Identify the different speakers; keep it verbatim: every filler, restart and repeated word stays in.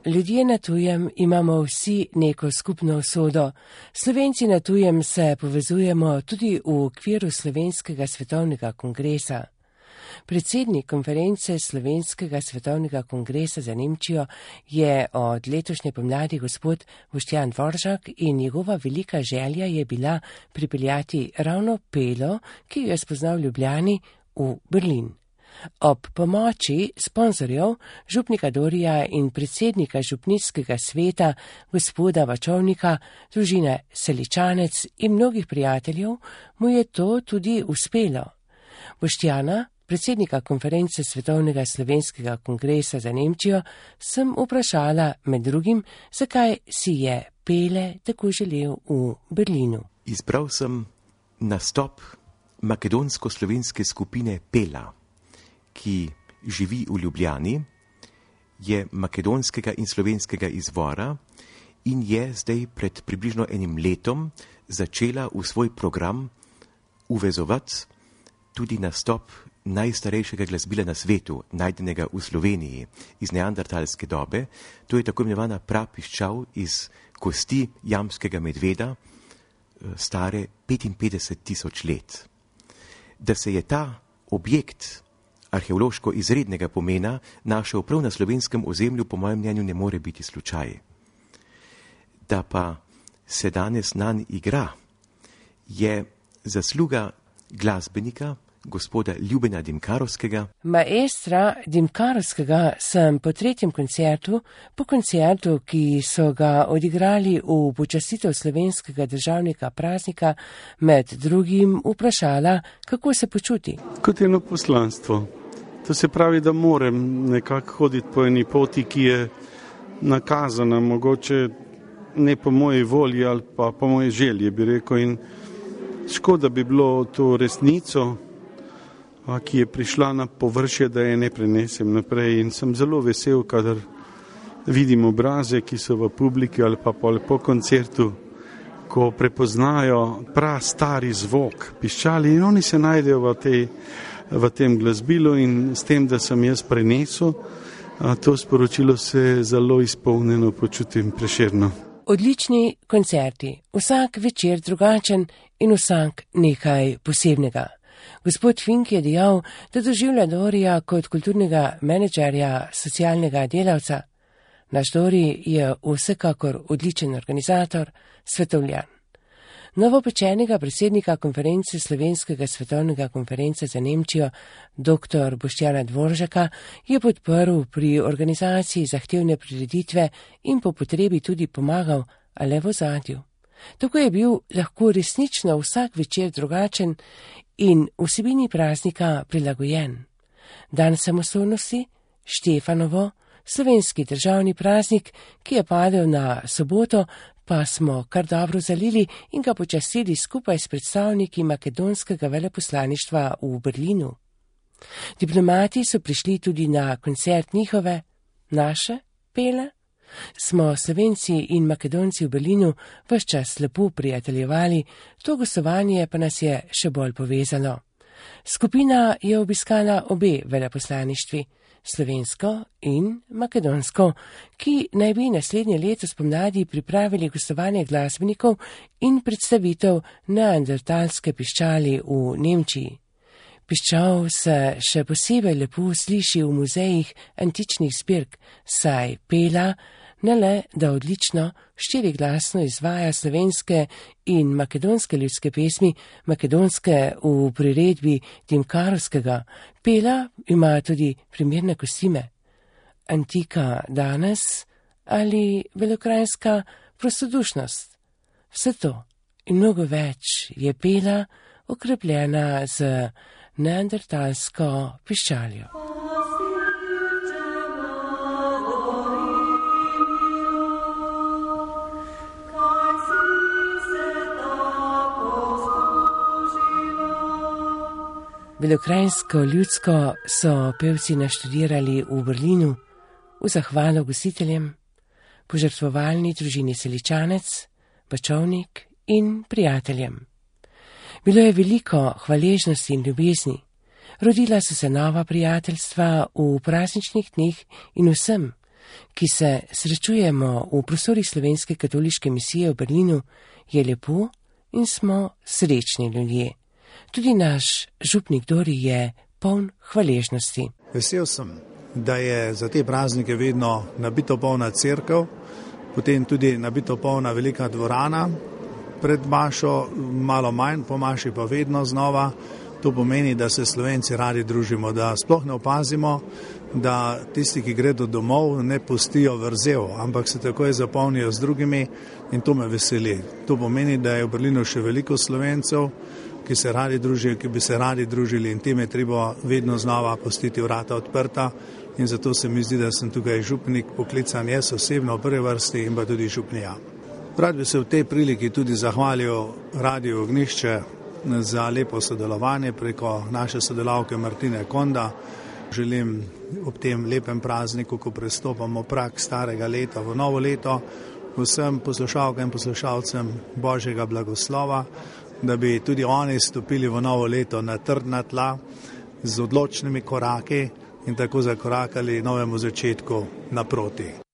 Speaker 1: ljudje na tujem imamo vsi neko skupno usodo. Slovenci na tujem se povezujemo tudi v okviru Slovenskega svetovnega kongresa. Predsednik konference Slovenskega svetovnega kongresa za Nemčijo je od letošnje pomladi gospod Boštjan Dvoržak in njegova velika želja je bila pripeljati ravno Pelo, ki jo je spoznal v Ljubljani, v Berlin. Ob pomoči sponzorjev, župnika Dorija in predsednika župnijskega sveta, gospoda Vačovnika, družine Seličanec in mnogih prijateljev, mu je to tudi uspelo. Boštjana, predsednika konference Svetovnega slovenskega kongresa za Nemčijo, sem vprašala med drugim, zakaj si je Pele tako želel v Berlinu.
Speaker 2: Izbral sem nastop makedonsko-slovenske skupine Pela, ki živi v Ljubljani, je makedonskega in slovenskega izvora in je zdaj pred približno enim letom začela v svoj program uvezovati tudi nastop najstarejšega glasbila na svetu, najdenega v Sloveniji, iz neandertalske dobe. To je tako imenovana prapiščal iz kosti jamskega medveda, stare petinpetdeset tisoč let. Da se je ta objekt arheološko izrednega pomena našel prav na slovenskem ozemlju, po mojem mnenju ne more biti slučaj. Da pa se danes nanj igra, je zasluga glasbenika, gospoda Ljubena Dimkarovskega.
Speaker 1: Maestra Dimkarovskega sem po tretjem koncertu, po koncertu, ki so ga odigrali v počastitev slovenskega državnega praznika, med drugim vprašala, kako se počuti.
Speaker 3: Kot eno poslanstvo. To se pravi, da moram nekako hoditi po eni poti, ki je nakazana, mogoče ne po moji volji ali pa po moji želji, bi rekel. In škoda bi bilo to resnico, ki je prišla na površje, da je ne prenesem naprej. In sem zelo vesel, kadar vidim obraze, ki so v publiki ali pa po koncertu, ko prepoznajo prav stari zvok piščali in oni se najdejo v, tej, v tem glasbilu in s tem, da sem jaz prenesel to sporočilo, se zelo izpolnjeno počutim, Prešerno.
Speaker 1: Odlični koncerti, vsak večer drugačen in vsak nekaj posebnega. Gospod Fink je dejal, da doživlja Dorija kot kulturnega menedžerja, socialnega delavca. Naš Dori je vsekakor odličen organizator, svetovljan. Novopečenega predsednika konference Slovenskega svetovnega konference za Nemčijo, dr. Boštjana Dvoržaka, je podprl pri organizaciji zahtevne prireditve in po potrebi tudi pomagal, a le v ozadju. Tako je bil lahko resnično vsak večer drugačen in vsebini praznika prilagojen. Dan samostojnosti, Štefanovo, slovenski državni praznik, ki je padel na soboto, pa smo kar dobro zalili in ga počastili skupaj s predstavniki makedonskega veleposlaništva v Berlinu. Diplomati so prišli tudi na koncert njihove, naše Pele. Smo Slovenci in Makedonci v Berlinu ves čas lepo prijateljevali, to gostovanje pa nas je še bolj povezalo. Skupina je obiskala obe veleposlaništvi, slovensko in makedonsko, ki naj bi naslednje leto spomladi pripravili gostovanje glasbenikov in predstavitev neandertalske piščali v Nemčiji. Piščal se še posebej lepo sliši v muzejih antičnih zbirk, saj Pela ne le, da odlično štiriglasno izvaja slovenske in makedonske ljudske pesmi, makedonske v priredbi Dimkarovskega. Pela ima tudi primerne kostime. Antika danes ali velokrajinska prostodušnost. Vse to in mnogo več je Pela okrepljena z neandertalsko piščaljo. Belokrajinsko ljudsko so pevci naštudirali v Berlinu, v zahvalo gostiteljem, požrtvovalni družini Seličanec, Vačovnik in prijateljem. Bilo je veliko hvaležnosti in ljubezni. Rodila so se nova prijateljstva v prazničnih dneh in vsem, ki se srečujemo v prostorih Slovenske katoliške misije v Berlinu, je lepo in smo srečni ljudje. Tudi naš župnik Dori je poln hvaležnosti.
Speaker 4: Vesel sem, da je za te praznike vedno nabito polna cerkev, potem tudi nabito polna velika dvorana, pred mašo malo manj, po maši pa vedno znova. To pomeni, da se Slovenci radi družimo, da sploh ne opazimo, da tisti, ki gredo domov, ne pustijo vrzel, ampak se takoj zapolnijo z drugimi in to me veseli. To pomeni, da je v Berlinu še veliko Slovencev, ki se radi družijo, ki bi se radi družili in tem je treba vedno znova pustiti vrata odprta in zato se mi zdi, da sem tukaj župnik poklican jaz osebno v prvi vrsti in pa tudi župnija. Rad bi se v tej priliki tudi zahvalil Radiu Ognjišče za lepo sodelovanje preko naše sodelavke Martine Konda. Želim ob tem lepem prazniku, ko prestopamo prag starega leta v novo leto, vsem poslušalkam in poslušalcem Božjega blagoslova, da bi tudi oni stopili v novo leto na trdna tla z odločnimi koraki in tako zakorakali novemu začetku naproti.